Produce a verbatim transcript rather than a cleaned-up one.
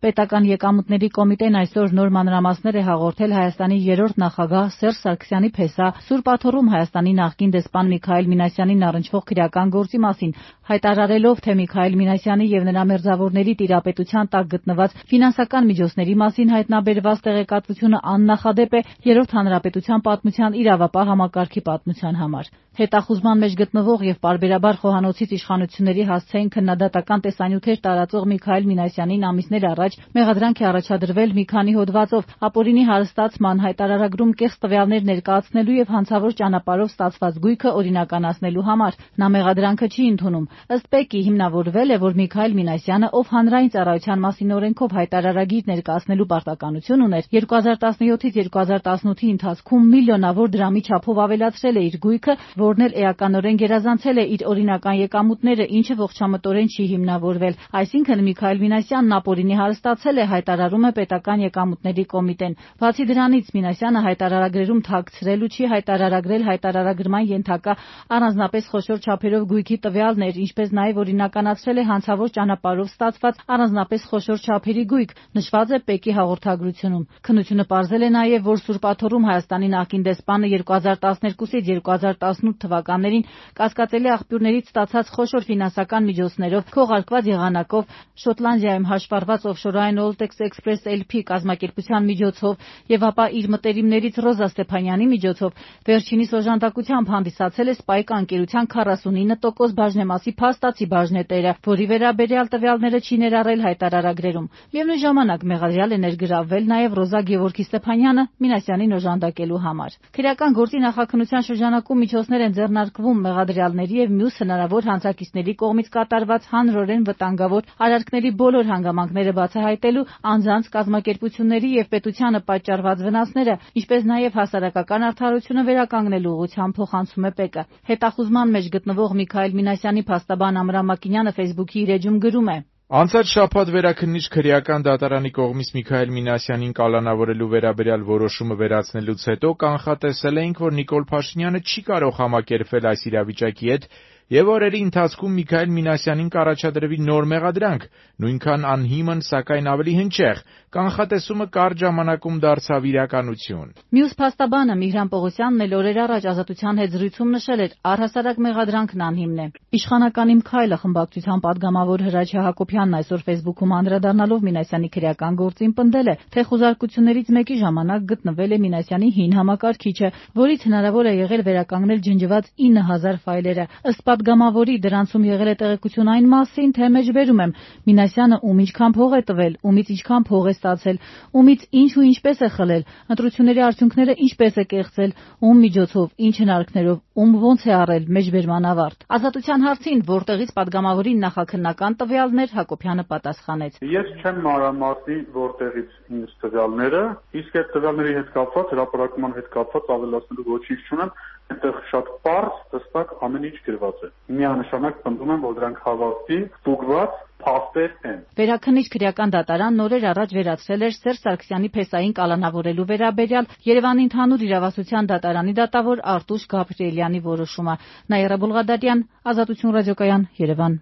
Պետական եկամուտների կոմիտեն այսօր նոր մանրամասներ է հաղորդել Հայաստանի երրորդ նախագահ Սերժ Սարգսյանի փեսա Սուրբ Աթոռում Հայաստանի նախկին դեսպան Միքայել Մինասյանին առնչվող քրեական գործի մասին, հայտարարելով, թե Միքայել Մինասյանի եւ նրա մերձավորների տիրապետության տակ գտնված ֆինանսական միջոցների մասին հայտնաբերված տեղեկատվությունը աննախադեպ է Երրորդ հանրապետության պատմության իրավապահ համակարգի պատմության համար։ Հետախուզման մեջ գտնվող եւ պարբերաբար խոհանոցից իշխանությունների հասցեին քննադատական տեսանյութեր տարածող Միքայել Մինասյանին ամիսներ առաջ մեղադրանք է առաջադրվել մի քանի հոդվածով ապօրինի հարստացման, հայտարարագրում կեղծ տվյալներ ներկայացնելու եւ հանցավոր ճանապարհով ստացված գույքը օրինականացնելու համար։ Նա մեղադրանքը չի ընդունում։ Ըստ ՊԵԿ-ի հիմնավորվել է, որ Միքայել Մինասյանը, ով հանրային ծառայության մասին օրենքով հայտարարագիր ներկայացնելու պարտականություն ուներ, երկու հազար տասնյոթից երկու հազար տասնութի ընթացքում միլիոնավոր դրամի չափով ավելացրել է իր գույքը, որն էլ էականորեն գերազանցել է իր օրինական եկամուտները, ինչը ողջամտորեն չի հիմնավորվել։ Այսինքն Միքայել Մինասյանն ապօրինի հարստացել է, հայտարարում է Պետական եկամուտների կոմիտեն։ Բացի դրանից, Մինասյանը հայտարարագրերում թաքցրել ու չի հայտարարագրել հայտարարագրման ենթակա առանձնապես խոշոր չափերով գույքի տվյալներ, ինչպես նաև օրինականացրել է հանցավոր ճանապարհով ստացված առանձնապես խոշոր չափերի գույք, նշված է ՊԵԿ-ի հաղորդագրությունում։ Քննությունը պարզել է նաև, որ Սուրբ Աթոռում Հայաստանի նախկին դեսպանը երկու հազար տասներկուսից երկու հազար տասնութ թվականներին կասկածելի աղբյուրներից ստացած խոշոր ֆինանսական միջոցներով, քողարկված եղանակով, Շոտլանդիայում հաշվառված օֆշորային Oltex Express L P կազմակերպության միջոցով եւ ապա իր մտերիմներից Ռոզա Ստեփանյանի միջոցով վերջինիս օժանդակությամբ հանդիսացել է Spike ընկերության քառասունինը տոկոս բաժնեմասի փաստացի բաժնետերը, որի վերաբերյալ տվյալները չի ներառել հայտարարագրերում։ Միևնույն ժամանակ մեղադրյալ է ներգրավվել նաև Ռոզա Գևորգի Ստեփանյանը Մինասյանին օժանդակելու համար։ Քրեական գործի նախաքննության շրջանակում միջոցներ են ձեռնարկվում մեղադրյալների եւ մյուս հնարավոր հանցակիցների կողմից կատարված հանրորեն վտանգավոր արարքների բոլոր հանգամանքները բացահայտելու, անձանց, կազմակերպությունների եւ պետությանը պատճառված վնասները, ինչպես նաեւ հասարակական արդարությունը վերականգնելու ուղղությամբ փոխանցում է ՊԵԿ-ը։ Հետախուզման մեջ գտնվող Միքայել Մինասյանի փաստաբան Ամրամ Մակինյանը Facebook-ի իր էջում գրում է. Անցած շաբաթ վերաքննիչ քրեական դատարանի կողմից Միքայել Մինասյանին կալանավորելու վերաբերյալ որոշումը վերացնելուց հետո կանխատեսել էինք, որ Նիկոլ Փաշինյանը չի կարող համակերպվել այս իրավիճակի հետ եւ օրերի ընթացքում Միքայել Մինասյանին կառաջադրվի նոր մեղադրանք, նույնքան անհիմն, սակայն ավելի հնչեղ։ Կանխատեսումը կարճ ժամանակում դարձավ իրականություն։ Մյուս փաստաբանը Միհրան Պողոսյանն էլ օրեր առաջ Ազատության հետ զրույցում նշել էր, առհասարակ մեղադրանքն անհիմն է։ Իշխանական Իմ քայլը խմբակցության падգամավոր Հրաչյա Հակոբյանն այսօր Facebook-ում անդրադառնալով Մինասյանի քրեական գործին պնդել է, թե խոզարկություններից մեկի ժամանակ գտնվել է Մինասյանի հին համակարգիչը, որից հնարավոր է եղել վերականգնել ջնջված ինը հազար ֆայլերը։ Ըստ падգամավորի դրանցում եղել է տեղեկություն այն մասին, թե մեջբերում եմ Մինասյանը ում ինչքան փող է տվել, ումից ինչքան փող է ստացել, ումից ինչ ու ինչպես է խլել, ընտրությունների արդյունքները ինչպես է կեղծել, ում միջոցով, ինչ հնարքներով, ում ոնց է առել մեջբերման ավարտ։ Ազատության հարցին, որտեղից падգամավորին նախաքննական տվյալներ, Հակոբյանը պատասխանեց. Ես չեմ մանրամասնի որտեղից ինձ տվյալները, իսկ այդ տվյալների հետ կապված, հրապարակման հետ կապված ավելացնելու ոչինչ չունեմ, այնտեղ շատ պարզ, հստակ ամեն ինչ գրված է։ Միանշանակ պնդում եմ, որ դրանք հավաստի, ստուգված փաստեր են։ Վերաքննիչ քրեական դատարանն օրեր առաջ վերացրել էր Սերժ Սարգսյանի փեսային կալանավորելու վերաբերյալ Երևանի ընդհանուր իրավասության դատարանի դատավոր Արտուշ Գաբրիելյանի որոշումը։ Նաիրա Բուլղադարյան, Ազատություն ռադիոկայան, Երևան։